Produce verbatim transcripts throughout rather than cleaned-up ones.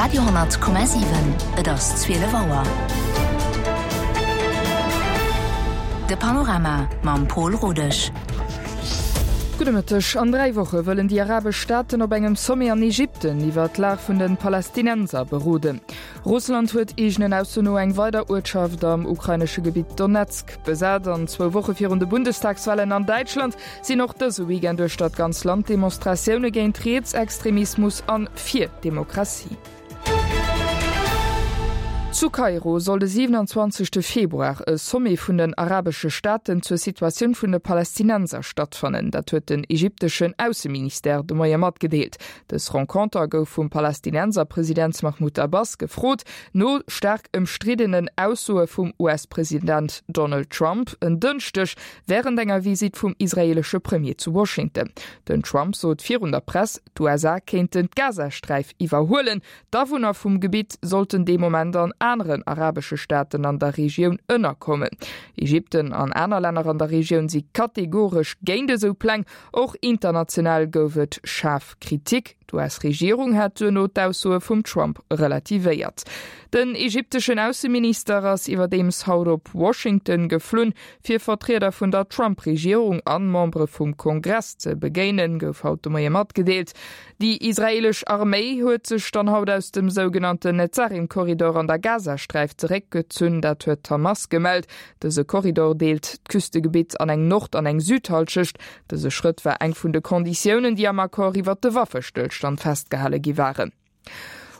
Radio honnert Komma siwen, Et ass zwielef Auer. De Panorama mam Pol Rodesch. Gudde Mëtteg. An dräi Woche wëllen déi arabesch Staaten op engem Sommet an Ägypten iwwer d'Lag vun de Palästinenser beroden. Russland huet eegenen Aussoen no eng weider Uertschaft am ukrainesche Gebitt Donezk besat. An zwou Woche virun de Bundestagswalen an Däitschland sinn och dëse Weekend duerch dat ganz Land Demonstratioune géint Rietsextremismus an fir Demokratie. Zu Kairo soll de siwenanzwanzegste Februar e Sommet vun den arabesche Staaten zur Situatioun vun de Palästinenser stattfannen. Dat huet den ägypteschen Ausseministère de Moie matgedeelt. Dës Renconter gouf vum Palästinenserpresident Mahmoud Abbas gefrot, no staark ëmstriddenen Aussoe vum U S-President Donald Trump en Dënschdeg wärend enger Visitt vum israeelesche Premier zu Washington. Den Trump sot virun der Press, d'U S A kéinten d'Gazasträif iwwerhuelen, D'Awunner vum Gebitt sollten dee Moment an aneren arabesche Staaten an der Regioun ënnerkommen. Ägypten an aner Länner an der Regioun si kategoresch géint esou Pläng. Och international gouf et schaarf Kritik. D'U S-Regierung hat duerno d'Aussoe vum Trump relativéiert. Den ägypteschen Ausseminister ass iwwerdeems haut op Washington geflunn, fir Vertrieder vun der Trump-Regierung an Membere vum Kongress ze begéinen, gouf haut de Moie matgedeelt. Déi israeelesch Arméi huet sech dann haut aus dem sougenannten Netzarim-Korridor an der Gazasträif zeréckgezunn, dat huet d'Hamas gemellt. Dëse Korridor deelt d'Küstegebitt an eng Nord an eng Südhallschecht. Dëse Schrëtt war eng vun de Konditiounen, déi am Accord iwwer de Waffestëllstand festgehale gi waren.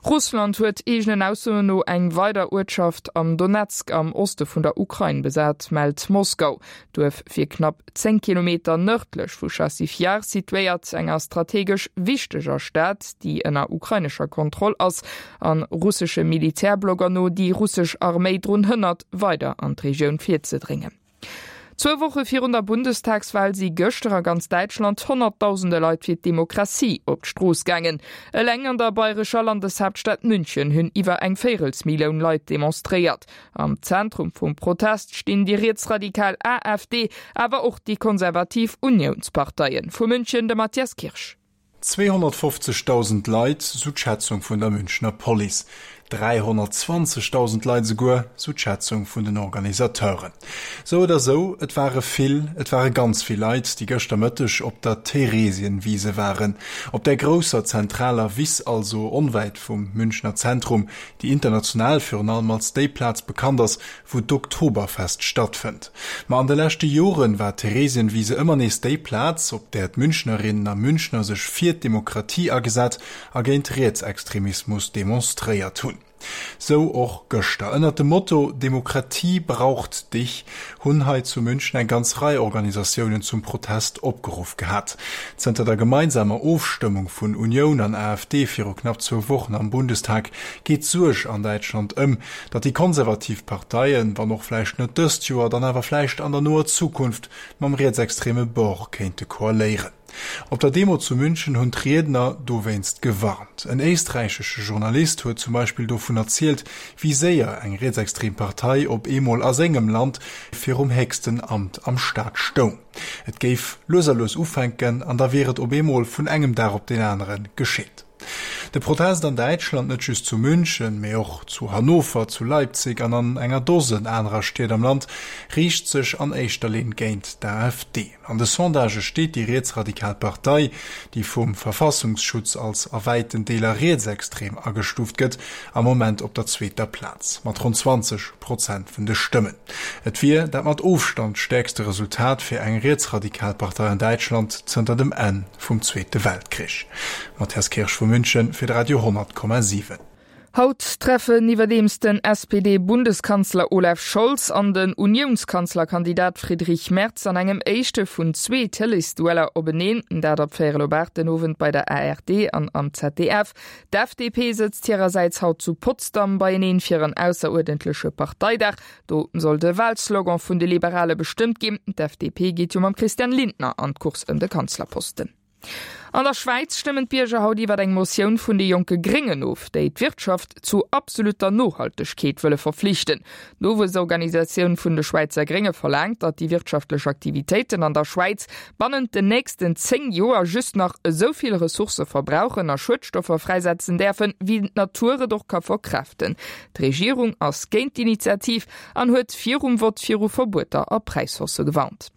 Russland huet eegenen Aussoen no eng weider Uertschaft am Donezk am Oste vun der Ukrain besat, mellt Moskau. D'Duerf wier knapp zéng Kilometer nërdlech vu Chassiv Jar situéiert, enger strategesch wichteger Stad, déi ënner ukrainescher Kontroll ass an russesche Militärblogger no déi russesch Arméi drun hënnert, weider an d'Regioun virzedréngen. Zwou Woche virun der Bundestagswal si gëschter a ganz Däitschland honnertdausende Leit fir d'Demokratie op d'Strooss gaangen. Eleng an der bayrescher Landeshaaptstad München hunn iwwer eng Véirelsmillioun Leit demonstréiert. Am Zentrum vum Protest stinn déi rietsradikal A F D, awer och déi konservativ Uniounsparteien. Vu München de Matthias Kirsch. Zweehonnertfofzegdausend Leit, sou d'Schätzung vun der Münchner Police. Dräihonnertzwanzegdausend Leit esouguer, sou d'Schätzung vun den Organisateuren. Sou oder sou, et ware vill, et ware ganz vill Leit, déi gëschter Mëtteg op der Theresienwiese waren. Op der grousser zentraler Wiss, also onwäit vum Münchner Zentrum, déi international virun allem als déi Plaz bekannt ass, wou d'Oktoberfest stattfënnt. Ma an de leschte Joren war d'Theresienwiese ëmmer nees déi Plaz, op där d'Münchnerinnen a Münchner sech fir d'Demokratie agesat a géint Rietsextremismus demonstréiert hunn. Sou och gëschter. Ënnert dem Motto Demokratie braucht dich hunn hei zu München eng ganz Rei Organisatiounen zum Protest opgeruff gehat. Zënter der gemeinsamer Ofstëmmung vun Unioun an A F D viru knapp zwou Wochen am Bundestag geet d'Suerg an Däitschland ëm, datt déi konservativ Parteien, wann och vläicht net dëst Joer, dann awer vläicht an der noer Zukunft mam rietsextreme Bord kéinte koaléieren. Op der Demo zu München hunn d'Riedner dowéinst gewarnt. En éisträichesche Journalist huet zum Beispill dovun erzielt, wéi séier eng rietsextrem Partei op eemol a sengem Land virum héchsten Amt am Staat stoung. Et géif lues a lues ufänken an da wier et op eemol vun engem Dag op deen anere geschitt. De Protest an Däitschland, net just zu München, mee och zu Hannover, zu Leipzig an an enger Dosen anerer Stied am Land, riicht sech an éischter Linn géint d'A F D. An de Sondagë steet déi rietsradikal Partei, déi vum Verfassungsschutz als a wäiten Deeler rietsextrem agestuuft gëtt, am Moment op der zweeter Plaz, mat ronn zwanzeg Prozent vun de Stëmmen. Et wier dat mat Ofstand stäerkste Resultat fir eng rietsradikal Partei an Däitschland zënter dem Enn vum Zweete Weltkrich. Matthias Kirsch vu München fir de Radio honnert Komma siwen. Haut treffen iwwerdeems den S P D-Bundeskanzler Olaf Scholz an den Uniounskanzlerkandidat Friedrich Merz an engem éischte vun zwee Tëleesdueller openeen, dat ab véierel op aacht den Owend bei der A R D an am Z D F. D'F D P sëtzt hirersäits haut zu Potsdam beieneen fir en ausseruerdentleche Parteidag. Do soll de Walslogan vun de Liberale bestëmmt ginn. D'F D P geet jo mam Christian Lindner an d'Course ëm de Kanzlerposten. An der Schwäiz stëmmen d'Bierger haut iwwer eng Motioun vun de jonke Gréngen of, déi d'Wirtschaft zu absolutter Nohaltegkeet wëlle verflichten. D'Nowuessorganisatioun vun de Schwäizer Grénge verlaangt, datt déi wirtschaftlech Aktivitéiten an der Schwäiz bannent den nächsten zéng Joer just nach esou vill Ressourcë verbrauchen a Schuedstoffer fräisetzen däerfen, wéi d'Natur et och ka verkraaften. D'Regierung ass géint d'Initiativ an huet virum Vott viru Verbueter a Präishaussë gewarnt.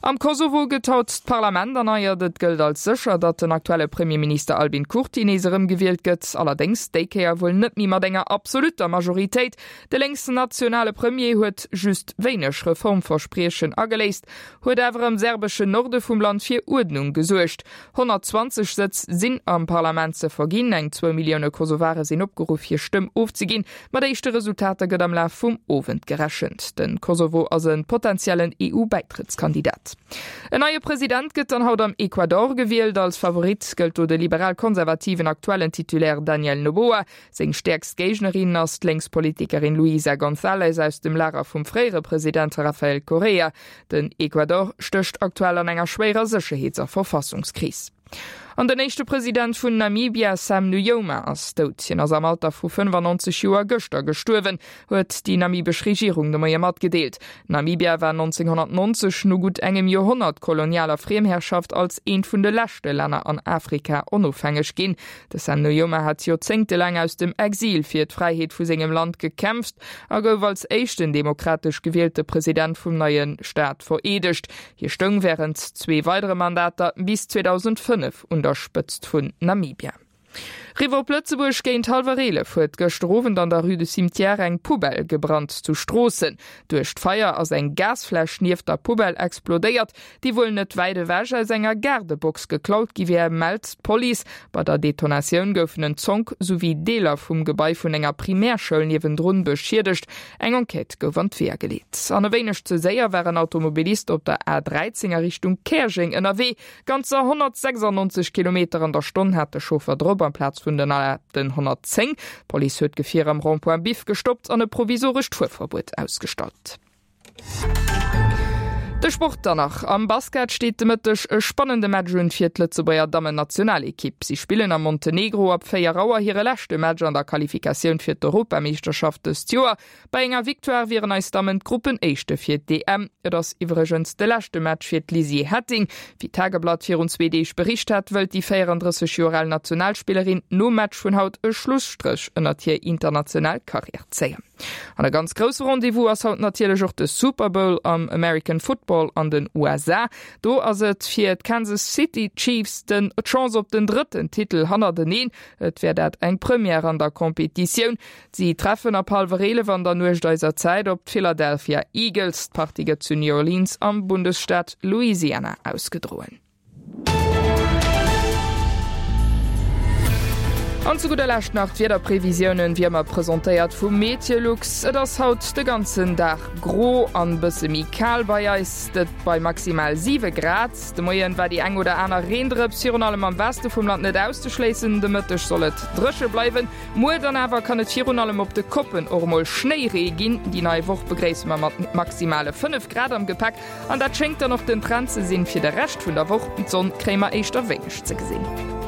Am Kosovo gëtt haut d'Parlament erneiert. Et gëllt als sécher, datt den aktuelle Premierminister Albin Kurti nees erëmgewielt gëtt, allerdéngs déi Kéier wuel net méi mat enger absolutter Majoritéit. De lénksnationale Premier huet just wéineg Reformverspriechen ageléist, huet awer am serbeschen Norde vum Land fir Uerdnung gesuergt. honnertzwanzeg Sëtz sinn am Parlament ze verginn, eng zwou Millioune Kosovare sinn opgeruff hir Stëmm ofzeginn. Mat éischte Resultater gëtt am Laf vum Owend gerechent. De Kosovo ass e potentiellen EU-Bäitrëttskandidat. En neie President gëtt dann haut am Ecuador gewielt. Als Favorit gëllt do de liberal-konservativen aktuellen Titulaire Daniel Noboa. Seng stäerkst Géignerin ass d'Lénkspolitikerin Luisa González aus dem Lager vum fréiere President Rafael Correa. Den Ecuador stécht aktuell an enger schwéierer Sécherheets a Verfassungskris. An den éischte President vun Namibia, Sam Nujoma, ass dout. Hien ass am Alter vu fënnefannonzeg Joer gëschter gestuerwen, huet déi namibesch Regierung de Moie matgedeelt. Namibia war nonzénghonnertnonzeg no gutt engem Joerhonnert kolonialer Friemherrschaft als eent vun de leschte Länner an Afrika onofhängeg ginn. De Sam Nujoma hat joerzéngtelaang aus dem Exil fir d'Fräiheet vu sengem Land gekämpft a gouf als éischten demokratesch gewielte President vum neie Staat vereedegt. Hie stoung wärend zwee weidere Mandater bis zweedausendfënnef un der Spëtzt vun Namibia. Riwwer op Lëtzebuerg, Géint hallwer eelef huet gëschter Owend an der Rue du Cimetière eng Poubelle gebrannt zu Stroossen. Duerch d'Feier ass eng Gasfläsch nieft der Poubelle explodéiert, déi wuel net wäit ewech aus enger Gaardebox geklaut gi wär, mellt d'Police. Bei der Detonatioun goufen en Zonk souwéi Deeler vum Gebai vun enger Primärschoul niewendrun beschiedegt. Eng Enquête gouf an d'Weeër geleet. An e wéineg ze séier war en Automobilist op der A dräizéng a Richtung Käerjeng ënnerwee. Ganzer honnertsechsannonzeg Kilometer an der Stonn hat de Chauffer drop, amplaz vun den erlaabten honnertzéng. D'Police huet d'Gefier am Rond-point Biff gestoppt an e provisorescht Fuerverbuet ausgestallt. De Sport dann nach. Am Basket steet de Mëtteg e spannende Match un fir d'Lëtzebuerger Dammennationalekipp. Si spillen am Montenegro ab véier Auer hire leschte Match an der Qualifikatioun fir d'Europameeschterschaft dëst Joer. Bei enger Victoire wieren eis Dammen d'Gruppenéischte fir d'E M. Et ass iwwregens de leschte Match fir d'Lizzie Hetting. Wéi d'Tageblatt virun zwee Deeg bericht hat, wëllt déi véierandrësseg Joer al Nationalspillerin nom Match vun haut e Schlusstréch ënnert hir international Karriär zéien. An e ganz grousse Rendez-vous ass haut natierlech och de Super Bowl am American Football an den U S A. Do ass et fir d'Kansas City Chiefs den d'Chance op den drëtten Titel hannerteneen. Et wär dat eng Première an der Competitioun. Si treffen ab hallwer eelef an der Nuecht eiser Zäit op d'Philadelphia Eagles. D'Partie gëtt zu New Orleans am Bundesstaat Louisiana ausgedroen. An zu gudder Lescht nach d'Wiederprevisiounen, wéi ëmmer presentéiert vu Meteolux. Et ass haut de ganzen Dag gro an bësse méi kal bei eis, dat bei maximal siwe Grad. De Moien war déi eng oder aner Reendrëps virun allem am Weste vum Land net auszeschléissen, de Mëtteg soll et dréche bleiwen. Muer dann awer kann et virun allem op de Koppen och emol Schnéiree ginn. Déi nei Woch begréisse mer mat maximale fënnef Grad am Gepäck an dat schéngt dann och den Trend ze sinn fir de Rescht vun der Woch. D'Sonn kréie mer éischter wéineg ze gesinn.